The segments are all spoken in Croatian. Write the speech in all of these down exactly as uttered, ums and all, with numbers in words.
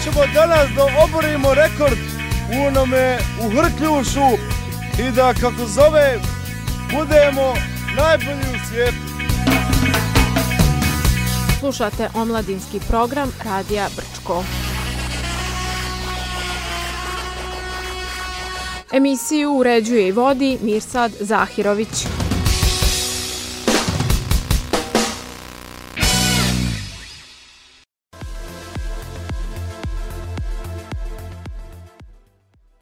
ćemo danas da oborimo rekord u onome u Hrkljušu i da, kako zove, budemo najbolji u svijetu. Slušate omladinski program Radija Brčko. Emisiju uređuje i vodi Mirsad Zahirović.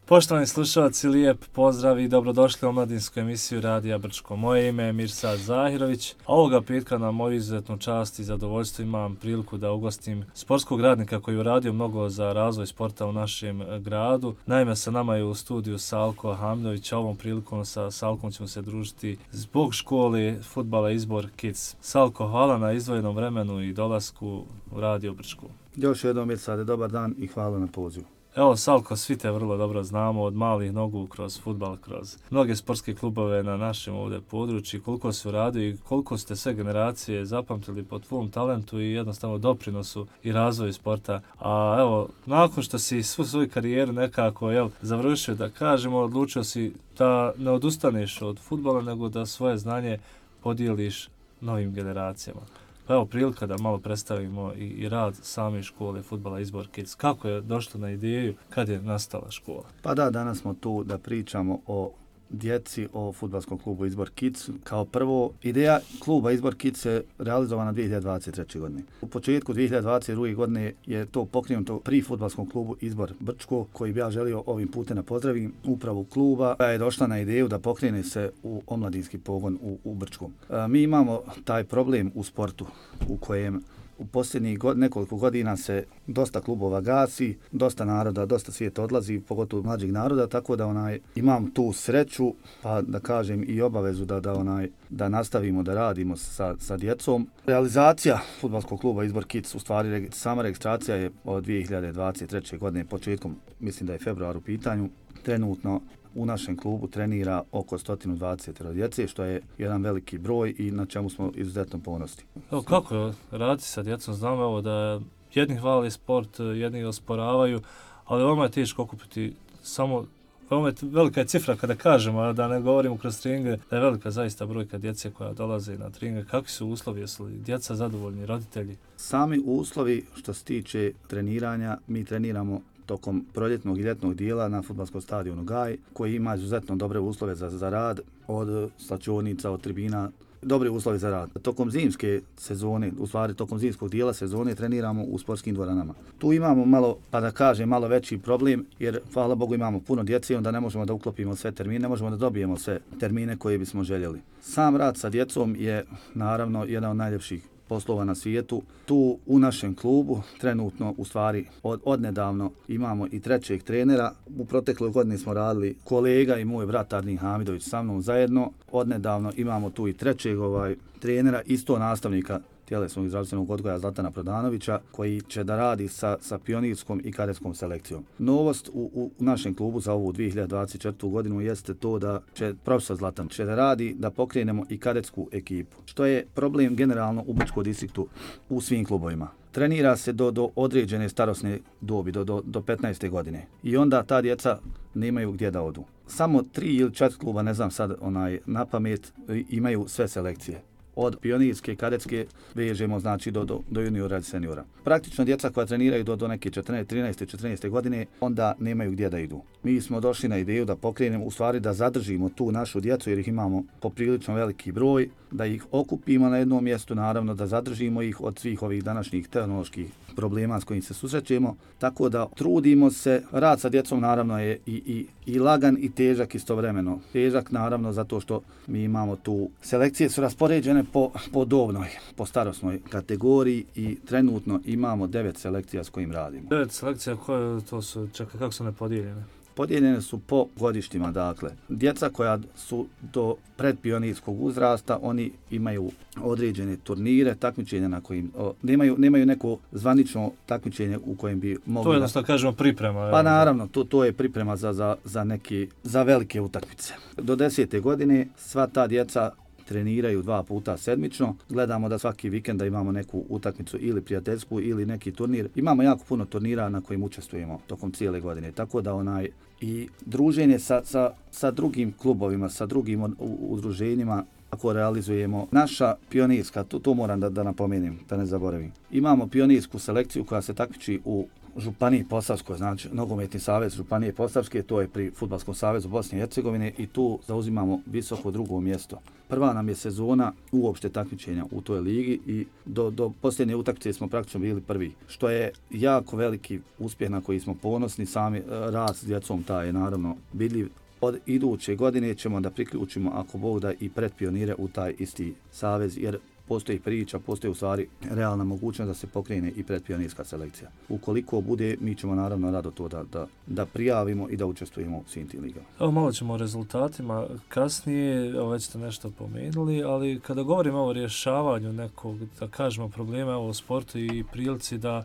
Poštovani slušalci, lijep pozdrav i dobrodošli u omladinsku emisiju Radija Brčko. Moje ime je Mirsad Zahirović. Ovoga petka na moju izuzetnu čast i zadovoljstvo imam priliku da ugostim sportskog radnika koji je uradio mnogo za razvoj sporta u našem gradu. Naime, sa nama je u studiju Salko Hamdović. Ovom prilikom sa Salkom ćemo se družiti zbog škole fudbala Izbor Kids. Salko, hvala na izdvojenom vremenu i dolasku u Radio Brčko. Još jednom, Mirsade, dobar dan i hvala na pozivu. Evo, Salko, svi te vrlo dobro znamo od malih nogu kroz fudbal, kroz mnoge sportske klubove na našem ovdje području, koliko su radili i koliko ste sve generacije zapamtili po tvom talentu i jednostavno doprinosu i razvoju sporta. A evo, nakon što si svu svoju karijeru nekako jel, završio, da kažemo, odlučio si da ne odustaneš od fudbala, nego da svoje znanje podijeliš novim generacijama. Pa evo prilika da malo predstavimo i, i rad same škole fudbala Izbor Kids. Kako je došlo na ideju, kad je nastala škola? Pa da, danas smo tu da pričamo o djeci, o fudbalskom klubu Izbor Kids. Kao prvo, ideja kluba Izbor Kids je realizovana dvije hiljade dvadeset treće. godine. U početku dvije hiljade dvadeset druge. godine je to pokrenuto pri fudbalskom klubu Izbor Brčko, koji bi ja želio ovim putem da pozdravim upravu kluba, koja je došla na ideju da pokrene se u omladinski pogon u, u Brčkom. E, mi imamo taj problem u sportu u kojem u posljednjih god, nekoliko godina se dosta klubova gasi, dosta naroda, dosta svijeta odlazi, pogotovo mlađih naroda, tako da onaj imam tu sreću, pa da kažem i obavezu da da onaj da nastavimo da radimo sa sa djecom. Realizacija fudbalskog kluba Izbor Kids, u stvari sama registracija je od dvije hiljade dvadeset treće. godine, početkom, mislim da je februar u pitanju. Trenutno u našem klubu trenira oko sto dvadeset djece, što je jedan veliki broj i na čemu smo izuzetno ponosni. Evo, kako je raditi sa djecom? Znamo evo da jedni hvali sport, jedni osporavaju, ali veoma je teško okupiti samo, veoma je velika je cifra kada kažemo, da ne govorimo kroz treninge, da je velika zaista brojka djece koja dolaze na treninge. Kakvi su uslovi, jesu li djeca zadovoljni, roditelji? Sami uslovi što se tiče treniranja, mi treniramo tokom proljetnog i ljetnog dijela na fudbalskom stadionu Gaj, koji ima izuzetno dobre uslove za, za rad, od slačionica, od tribina, dobre uslove za rad. Tokom zimske sezone, u stvari tokom zimskog dijela sezone, treniramo u sportskim dvoranama. Tu imamo malo, pa da kažem, malo veći problem, jer hvala Bogu imamo puno djece, onda ne možemo da uklopimo sve termine, ne možemo da dobijemo sve termine koje bismo željeli. Sam rad sa djecom je naravno jedan od najljepših poslova na svijetu. Tu u našem klubu trenutno, u stvari od, odnedavno imamo i trećeg trenera. U protekloj godini smo radili kolega i moj brat Arnin Hamidović sa mnom zajedno. Odnedavno imamo tu i trećeg ovaj trenera, isto nastavnika tjelesnog i zdravstvenog odgoja Zlatana Prodanovića, koji će da radi sa, sa pionirskom i kadetskom selekcijom. Novost u, u našem klubu za ovu dvije hiljade dvadeset četvrtu. godinu jeste to da će profesor Zlatan će da radi da pokrenemo i kadetsku ekipu, što je problem generalno u Brčkom distriktu u svim klubovima. Trenira se do, do određene starosne dobi, do, do, do petnaeste. godine. I onda ta djeca nemaju gdje da odu. Samo tri ili četiri kluba, ne znam sad onaj na pamet, imaju sve selekcije. Od pionirske, kadetske vežemo znači do, do, do juniora i seniora. Praktično djeca koja treniraju do, do neke četrnaeste, trinaeste, četrnaeste. godine, onda nemaju gdje da idu. Mi smo došli na ideju da pokrenemo, u stvari da zadržimo tu našu djecu, jer ih imamo poprilično veliki broj, da ih okupimo na jednom mjestu, naravno da zadržimo ih od svih ovih današnjih tehnoloških problema s kojim se susrećemo. Tako da trudimo se, rad sa djecom naravno je i, i, i lagan i težak istovremeno. Težak naravno zato što mi imamo tu, selekcije su raspoređene po, po dobnoj, po starosnoj kategoriji i trenutno imamo devet selekcija s kojim radimo. Devet selekcija koje to su, čekaj, kako su nepodijeljene? Podijeljene su po godištima, dakle. Djeca koja su do predpionirskog uzrasta, oni imaju određene turnire, takmičenja na kojim o, nemaju, nemaju neko zvanično takmičenje u kojem bi mogli... To je jednostavno da kažemo priprema. Pa naravno, to, to je priprema za, za, za, neki, za velike utakmice. Do desete godine sva ta djeca treniraju dva puta sedmično. Gledamo da svaki vikend da imamo neku utakmicu ili prijateljsku ili neki turnir. Imamo jako puno turnira na kojim učestvujemo tokom cijele godine. Tako da onaj i druženje sa, sa, sa drugim klubovima, sa drugim udruženjima, ako realizujemo naša pionirska, to, to moram da, da napomenem, da ne zaboravim. Imamo pionirsku selekciju koja se takmiči u Županiji Posavskoj, znači Nogometni savez Županije Posavske, to je pri Fudbalskom savezu Bosne i Hercegovine i tu zauzimamo visoko drugo mjesto. Prva nam je sezona uopšte takmičenja u toj ligi i do, do posljednje utakmice smo praktično bili prvi, što je jako veliki uspjeh na koji smo ponosni. Sami rad s djecom taj je naravno vidljiv. Od iduće godine ćemo da priključimo, ako Bog da, i predpionire u taj isti savez, jer postoji priča, postoji u stvari realna mogućnost da se pokrene i predpionirska selekcija. Ukoliko bude, mi ćemo naravno rado to da, da, da prijavimo i da učestvujemo u svim tim ligama. Evo malo ćemo o rezultatima kasnije, evo već ste nešto pomenuli, ali kada govorimo o rješavanju nekog, da kažemo, problema u sportu i prilici da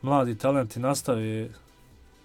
mladi talenti nastave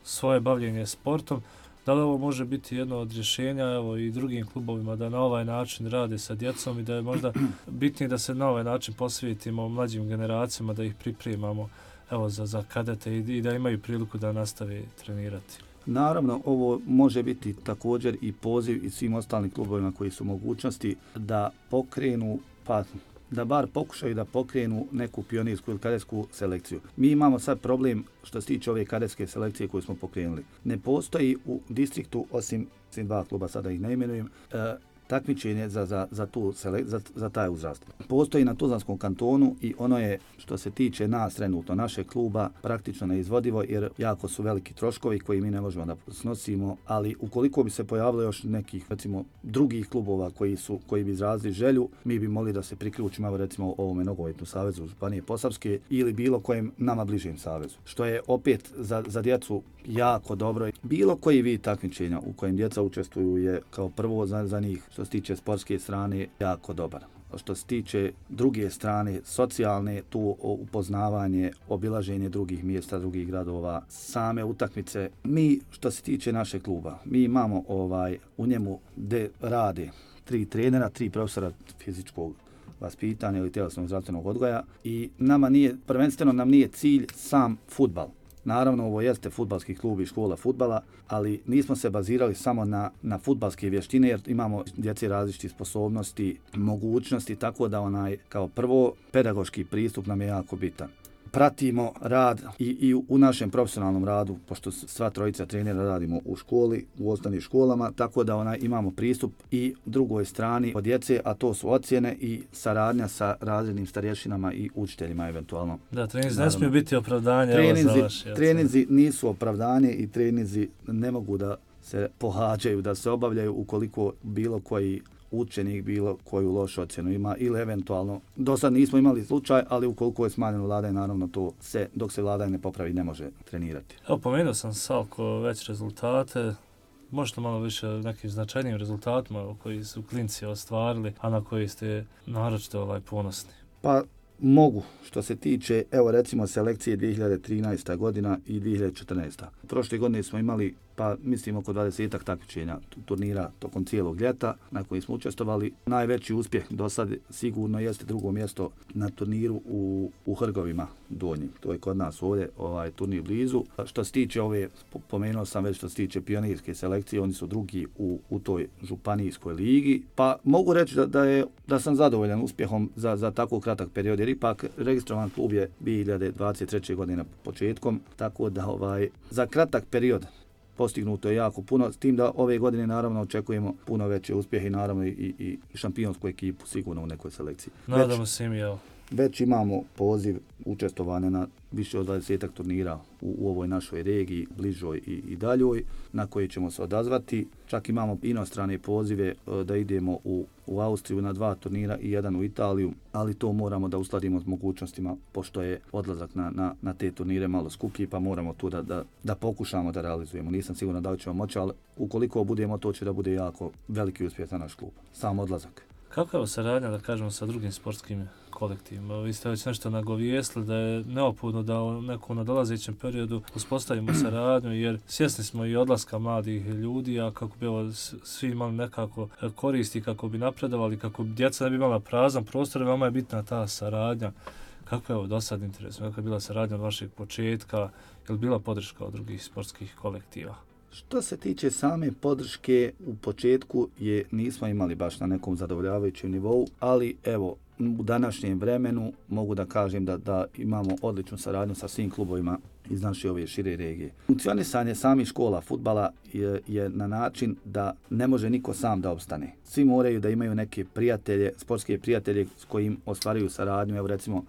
svoje bavljenje sportom, da li ovo može biti jedno od rješenja, evo, i drugim klubovima da na ovaj način rade sa djecom i da je možda bitnije da se na ovaj način posvetimo mlađim generacijama, da ih pripremamo, evo, za, za kadete i, i da imaju priliku da nastave trenirati? Naravno, ovo može biti također i poziv i svim ostalim klubovima koji su mogućnosti da pokrenu, pa da bar pokušaju da pokrenu neku pionirsku ili kadetsku selekciju. Mi imamo sad problem što se tiče ove kadetske selekcije koju smo pokrenuli. Ne postoji u distriktu, osim dva kluba, sada ih ne imenujem, e, takmičenje za, za, za, tu selek, za, za taj uzrast. Postoji na Tuzlanskom kantonu i ono je, što se tiče nas trenutno, našeg kluba, praktično neizvodivo jer jako su veliki troškovi koji mi ne možemo da snosimo, ali ukoliko bi se pojavilo još nekih, recimo, drugih klubova koji su koji bi izrazili želju, mi bi mogli da se priključimo, recimo, ovome Nogometnom savezu Županije Posavske ili bilo kojem nama bližem savezu. Što je opet za, za djecu jako dobro. Bilo koji vid takmičenja u kojem djeca učestvuju je kao prvo za, za njih, što se tiče sportske strane, jako dobar. Što se tiče druge strane, socijalne, tu upoznavanje, obilaženje drugih mjesta, drugih gradova, same utakmice. Mi, što se tiče našeg kluba, mi imamo ovaj u njemu gde rade tri trenera, tri profesora fizičkog vaspitanja ili tjelesnog zdravstvenog odgoja i nama nije, prvenstveno nam nije cilj sam fudbal. Naravno, ovo jeste fudbalski klub i škola fudbala, ali nismo se bazirali samo na, na fudbalske vještine, jer imamo djece različitih sposobnosti, mogućnosti, tako da onaj, kao prvo, pedagoški pristup nam je jako bitan. Pratimo rad i, i u našem profesionalnom radu, pošto sva trojica trenera radimo u školi, u osnovnim školama, tako da onaj, imamo pristup i drugoj strani od djece, a to su ocjene i saradnja sa razrednim starješinama i učiteljima eventualno. Da, treninzi ne smiju biti opravdanje. Treninzi, za vaše, treninzi nisu opravdanje i treninzi ne mogu da se pohađaju, da se obavljaju ukoliko bilo koji učenik bilo koju lošu ocjenu ima ili eventualno, do sad nismo imali slučaj, ali ukoliko je smanjeno vladanje, naravno to se, dok se vladanje ne popravi, ne može trenirati. Evo, pomenuo sam Salko već rezultate, možete malo više nekim značajnim rezultatima koji su klinci ostvarili, a na koji ste naročito ovaj, ponosni? Pa mogu, što se tiče, evo recimo selekcije dvije hiljade trinaesta godina i dvije hiljade četrnaesta. Prošle godine smo imali, pa mislim, oko dvadesetak takmičenja turnira tokom cijelog ljeta na koji smo učestvovali. Najveći uspjeh do sad sigurno jeste drugo mjesto na turniru u, u Hrgovima Donjim. To je kod nas ovdje, ovaj turnir blizu. Što se tiče ove, pomenuo sam već što se tiče pionirske selekcije, oni su drugi u, u toj županijskoj ligi. Pa mogu reći da, da, je, da sam zadovoljan uspjehom za, za tako kratak period, jer ipak registrovan klub je dvije hiljade dvadeset treće godine početkom, tako da ovaj, za kratak period postignuto je jako puno, s tim da ove godine naravno očekujemo puno veće uspjehe i naravno i, i šampionsku ekipu sigurno u nekoj selekciji. Nadamo se im, jel? Već imamo poziv učestvovanja na više od dvadesetak turnira u, u ovoj našoj regiji, bližoj i, i daljoj, na koje ćemo se odazvati. Čak imamo inostrane pozive da idemo u, u Austriju na dva turnira i jedan u Italiju, ali to moramo da uskladimo s mogućnostima, pošto je odlazak na, na, na te turnire malo skuplji, pa moramo tu da, da, da pokušamo da realizujemo. Nisam siguran da li ćemo moći, ali ukoliko budemo, to će da bude jako veliki uspjeh za naš klub. Sam odlazak. Kako je saradnja, da kažemo, sa drugim sportskim kolektivima. Vi ste već nešto nagovijestili da je neophodno da u nekom nadolazećem periodu uspostavimo saradnju, jer svjesni smo i odlaska mladih ljudi, a kako bi ovo svi imali nekako koristi, kako bi napredovali, kako bi djeca ne bi imala prazan prostor, vama je bitna ta saradnja. Kako je ovo do sad interesno? Kako je bila saradnja od vašeg početka? Je li bila podrška od drugih sportskih kolektiva? Što se tiče same podrške, u početku je nismo imali baš na nekom zadovoljavajućem nivou, ali evo, u današnjem vremenu mogu da kažem da, da imamo odličnu saradnju sa svim klubovima iz naše ove šire regije. Funkcionisanje samih škola fudbala je, je na način da ne može niko sam da opstane. Svi moraju da imaju neke prijatelje, sportske prijatelje s kojim ostvaruju saradnju. Evo recimo,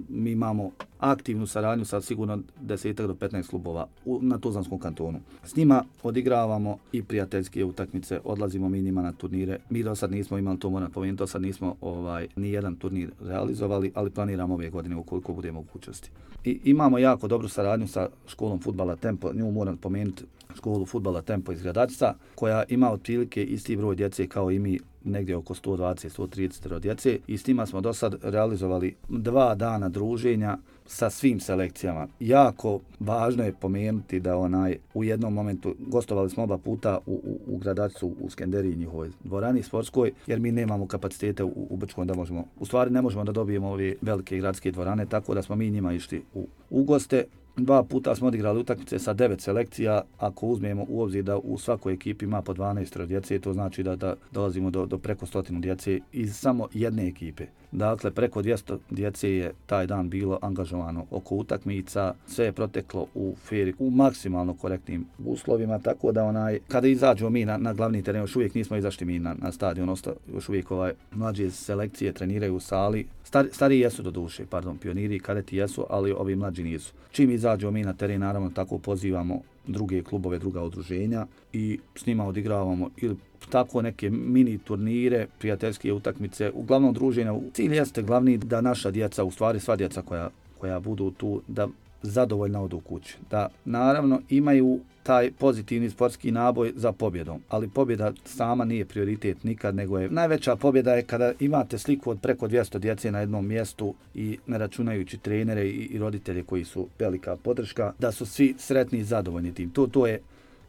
mi imamo aktivnu saradnju sa sigurno deset do petnaest klubova u, na Tuzlanskom kantonu. S njima odigravamo i prijateljske utakmice, odlazimo mi njima na turnire. Mi do sad nismo imali, to moram pomenuti, do sad nismo ovaj, ni jedan turnir realizovali, ali planiramo ove godine ukoliko bude mogućnosti. I imamo jako dobru saradnju sa školom fudbala Tempo, nju moram pomenuti, školu fudbala Tempo iz Gradačca, koja ima otprilike isti broj djece kao i mi, negdje oko sto dvadeset do sto trideset djece, i s njima smo do sad realizovali dva dana druženja sa svim selekcijama. Jako važno je pomenuti da onaj u jednom momentu gostovali smo oba puta u, u, u Gradačcu, u Skenderiji, njihovoj dvorani sportskoj, jer mi nemamo kapacitete u, u Brčkom da možemo, u stvari ne možemo da dobijemo ove velike gradske dvorane, tako da smo mi njima išli u, u goste. Dva puta smo odigrali utakmice sa devet selekcija. Ako uzmemo u obzir da u svakoj ekipi ima po dvanaest djece, to znači da, da dolazimo do, do preko stotinu djece iz samo jedne ekipe. Dakle, preko dvjesto djece je taj dan bilo angažovano oko utakmica, sve je proteklo u feri, u maksimalno korektnim uslovima, tako da onaj, kada izađemo mi na, na glavni teren, još uvijek nismo izašli mi na, na stadion, osta, još uvijek ovaj, mlađe selekcije treniraju u sali. Star, stariji jesu do duše, pardon, pioniri i kadeti jesu, ali ovi mlađi nisu. Čim izađemo mi na teren, naravno tako pozivamo druge klubove, druga udruženja i s njima odigravamo ili tako neke mini turnire, prijateljske utakmice, uglavnom druženja. Cilj jeste glavni da naša djeca, u stvari sva djeca koja, koja budu tu, da zadovoljno odu kući. Da naravno imaju taj pozitivni sportski naboj za pobjedom, ali pobjeda sama nije prioritet nikad, nego je najveća pobjeda je kada imate sliku od preko dvjesto djece na jednom mjestu i ne računajući trenere i, i roditelje koji su velika podrška, da su svi sretni i zadovoljni tim. To, to, je,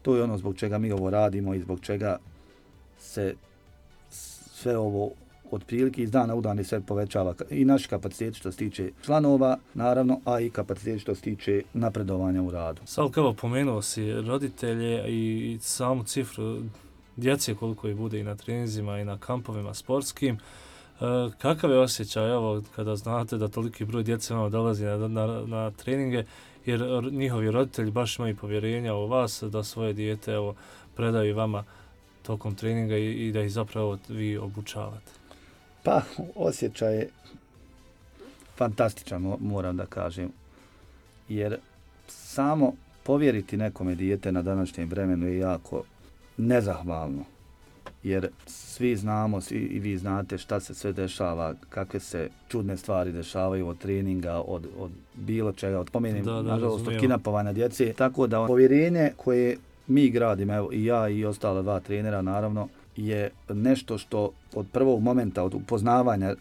to je ono zbog čega mi ovo radimo i zbog čega se sve ovo otprilike iz dana u dan se povećava i naš kapacitet što se tiče članova, naravno, a i kapacitet što se tiče napredovanja u radu. Salko, evo, pomenuo si roditelje i samu cifru djece koliko ih bude i na treninzima i na kampovima sportskim. E, kakav je osjećaj, evo, kada znate da toliki broj djece vam dolazi na, na, na treninge, jer njihovi roditelji baš imaju povjerenja u vas da svoje dijete, evo, predaju vama tokom treninga i, i da ih zapravo vi obučavate? Pa, osjećaj je fantastičan, moram da kažem, jer samo povjeriti nekome dijete na današnjem vremenu je jako nezahvalno, jer svi znamo, svi i vi znate šta se sve dešava, kakve se čudne stvari dešavaju od treninga, od, od bilo čega, od pomenim, nažalost, od kidnapovanja djece, tako da povjerenje koje mi gradimo, evo i ja i ostala dva trenera, naravno, je nešto što od prvog momenta, od upoznavanja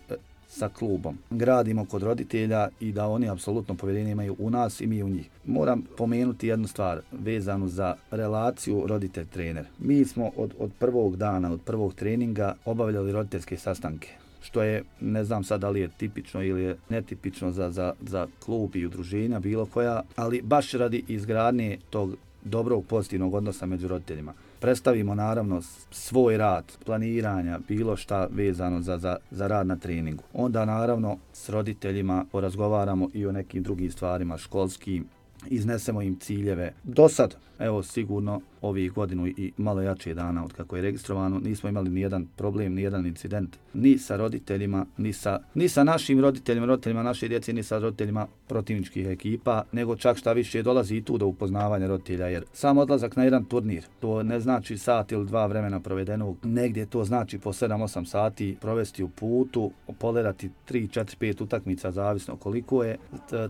sa klubom, gradimo kod roditelja i da oni apsolutno povjerenje imaju u nas i mi u njih. Moram pomenuti jednu stvar vezanu za relaciju roditelj-trener. Mi smo od, od prvog dana, od prvog treninga obavljali roditeljske sastanke, što je, ne znam sad da li je tipično ili je netipično za, za, za klub i udruženja, bilo koja, ali baš radi izgradnje tog dobrog pozitivnog odnosa među roditeljima. Predstavimo naravno svoj rad, planiranja, bilo šta vezano za, za, za rad na treningu. Onda naravno s roditeljima porazgovaramo i o nekim drugim stvarima školskim, iznesemo im ciljeve. Do sad, evo sigurno ovih godinu i malo jače dana od kako je registrovano, nismo imali ni jedan problem, ni jedan incident, ni sa roditeljima, ni sa, ni sa našim roditeljima, roditeljima naše djece, ni sa roditeljima protivničkih ekipa, nego čak šta više dolazi i tu do upoznavanja roditelja, jer sam odlazak na jedan turnir, to ne znači sat ili dva vremena provedenog, negdje to znači po sedam osam sati provesti u putu, polerati tri četiri pet utakmica, zavisno koliko je,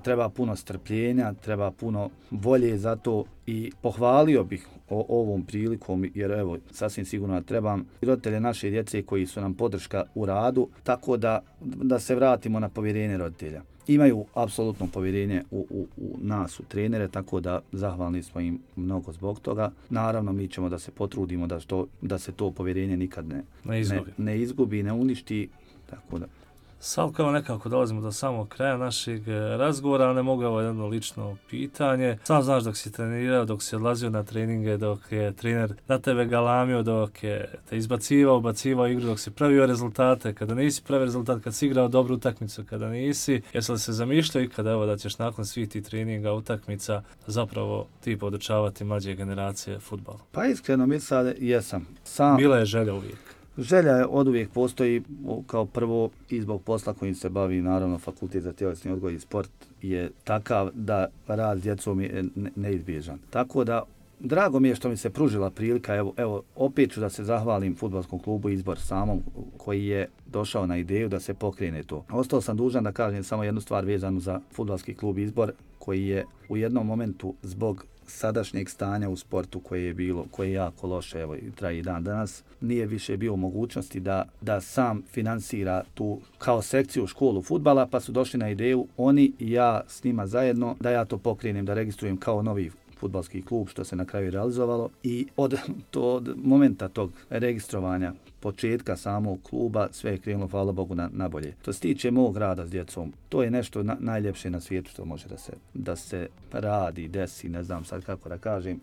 treba puno strpljenja, treba puno puno volje za to i pohvalio bih o ovom prilikom, jer evo, sasvim sigurno trebam roditelje naše djece koji su nam podrška u radu, tako da, da se vratimo na povjerenje roditelja. Imaju apsolutno povjerenje u, u, u nas, u trenere, tako da zahvalni smo im mnogo zbog toga. Naravno, mi ćemo da se potrudimo da, što, da se to povjerenje nikad ne, ne, izgubi. ne, ne izgubi, ne uništi, tako da. Sad kao nekako dolazimo do samog kraja našeg razgovora, ali ne mogu ovo jedno lično pitanje. Sam znaš dok si trenirao, dok si odlazio na treninge, dok je trener na tebe galamio, dok je te izbacivao, ubacivao igru, dok si pravio rezultate, kada nisi pravio rezultat, kad si igrao dobru utakmicu, kada nisi, jesi li se zamišljao i kada evo da ćeš nakon svih tih treninga, utakmica, zapravo ti podučavati mlađe generacije fudbalu? Pa iskreno mi sad jesam. Sam... Bila je želja uvijek. Želja je od uvijek postoji, kao prvo i zbog posla kojim se bavi, naravno Fakultet za tjelesni odgoj i sport je takav da rad s djecom je neizbježan. Tako da drago mi je što mi se pružila prilika, evo, evo opet ću da se zahvalim Fudbalskom klubu Izbor samom koji je došao na ideju da se pokrene to. Ostao sam dužan da kažem samo jednu stvar vezanu za Fudbalski klub Izbor koji je u jednom momentu zbog sadašnjeg stanja u sportu koje je bilo, koje je jako loše, evo i traje i dan danas, nije više bio mogućnosti da, da sam finansira tu kao sekciju školu fudbala, pa su došli na ideju oni i ja s njima zajedno da ja to pokrenem, da registrujem kao novi fudbalski klub, što se na kraju realizovalo i od, to, od momenta tog registrovanja početka samog kluba sve je krenulo, hvala Bogu, na, na bolje. To se tiče mog rada s djecom, to je nešto na, najljepše na svijetu što može da se, da se radi, desi, ne znam sad kako da kažem.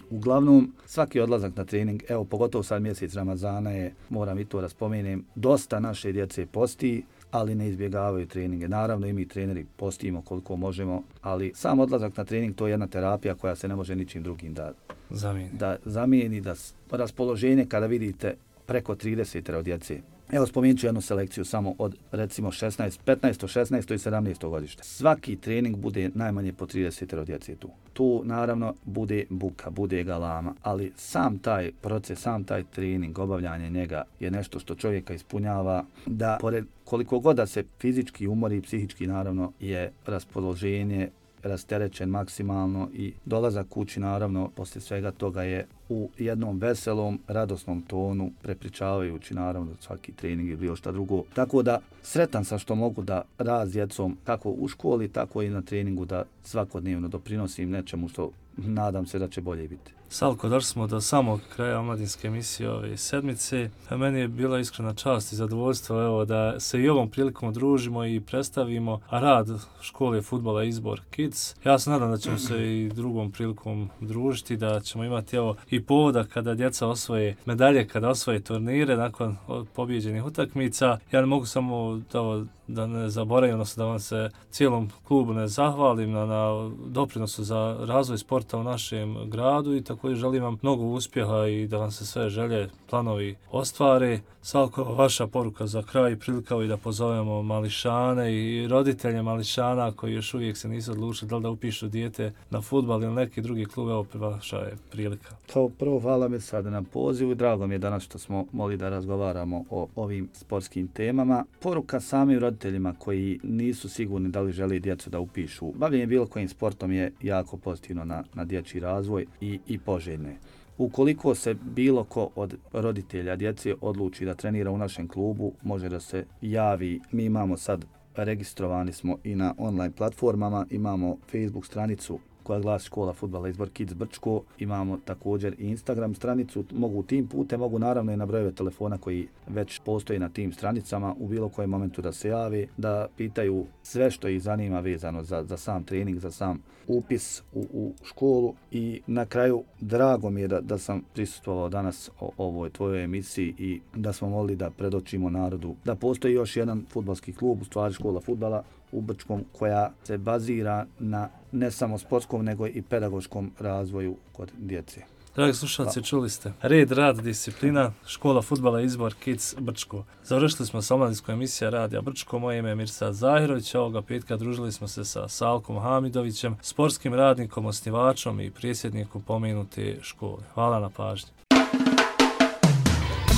Uglavnom, svaki odlazak na trening, evo pogotovo sad mjesec Ramazana je, moram i to da spomenem, dosta naše djece posti, ali ne izbjegavaju treninge. Naravno i mi treneri postimo koliko možemo, ali sam odlazak na trening to je jedna terapija koja se ne može ničim drugim da zamijeni. Da zamijeni, da raspoloženje kada vidite preko trideset od djece. Evo spomenut ću jednu selekciju samo od recimo šesnaest, petnaest, šesnaest i sedamnaest godište. Svaki trening bude najmanje po trideset od djece tu. Tu naravno bude buka, bude galama, ali sam taj proces, sam taj trening, obavljanje njega je nešto što čovjeka ispunjava da pored koliko god da se fizički umori, psihički naravno je raspoloženje rasterećen maksimalno i dolazak kući naravno poslije svega toga je u jednom veselom, radosnom tonu, prepričavajući naravno svaki trening ili bilo šta drugo. Tako da sretan sam što mogu da rad s djecom kako u školi, tako i na treningu da svakodnevno doprinosim nečemu što nadam se da će bolje biti. Salko, došli smo do samog kraja omladinske emisije ove sedmice. Meni je bila iskrena čast i zadovoljstvo evo, da se i ovom prilikom odružimo i predstavimo rad škole fudbala Izbor Kids. Ja se nadam da ćemo se i drugom prilikom družiti, da ćemo imati evo, i povoda kada djeca osvoje medalje, kada osvoje turnire nakon pobjeđenih utakmica. Ja ne mogu samo da, da ne zaboravim, odnosno da vam se cijelom klubu ne zahvalim na, na doprinosu za razvoj sporta u našem gradu i tako i želim vam mnogo uspjeha i da vam se sve želje, planovi ostvare. Salko, vaša poruka za kraj, prilika i da pozovemo mališane i roditelje mališana koji još uvijek se nisu odlučili da li da upišu dijete na fudbal ili neki drugi klub, evo vaša je prilika. Kao prvo, hvala mi sada na pozivu, drago mi je danas što smo mogli da razgovaramo o ovim sportskim temama. Poruka samim roditeljima koji nisu sigurni da li žele djecu da upišu bavljenje bilo kojim sportom je jako pozitivno na, na dječji razvoj i, i poželjne. Ukoliko se bilo ko od roditelja djece odluči da trenira u našem klubu, može da se javi. Mi imamo sad, registrovani smo i na online platformama, imamo Facebook stranicu koja glasi Škola fudbala Izbor Kids Brčko, imamo također i Instagram stranicu, mogu tim putem, mogu naravno i na brojeve telefona koji već postoji na tim stranicama u bilo kojem momentu da se jave, da pitaju sve što ih zanima vezano za, za sam trening, za sam upis u, u školu i na kraju drago mi je da, da sam prisustvovao danas o ovoj tvojoj emisiji i da smo mogli da predočimo narodu da postoji još jedan fudbalski klub, u stvari Škola fudbala u Brčkom koja se bazira na ne samo sportskom nego i pedagoškom razvoju kod djece. Dragi slušalci, čuli ste. Red, rad, disciplina, Škola fudbala Izbor Kids Brčko. Završili smo sa omladinskom emisija Radija Brčko. Moje ime je Mirsad Zahirović. Ovoga petka družili smo se sa Salkom Hamidovićem, sportskim radnikom, osnivačom i predsjednikom pomenute škole. Hvala na pažnji.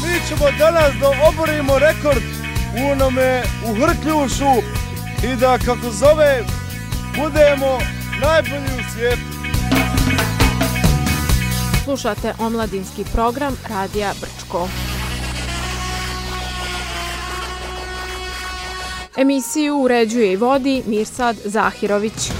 Mi ćemo danas da oborimo rekord u onome u Hrkljušu i da, kako zove, budemo najbolji u svijetu. Slušate omladinski program Radija Brčko. Emisiju uređuje i vodi Mirsad Zahirović.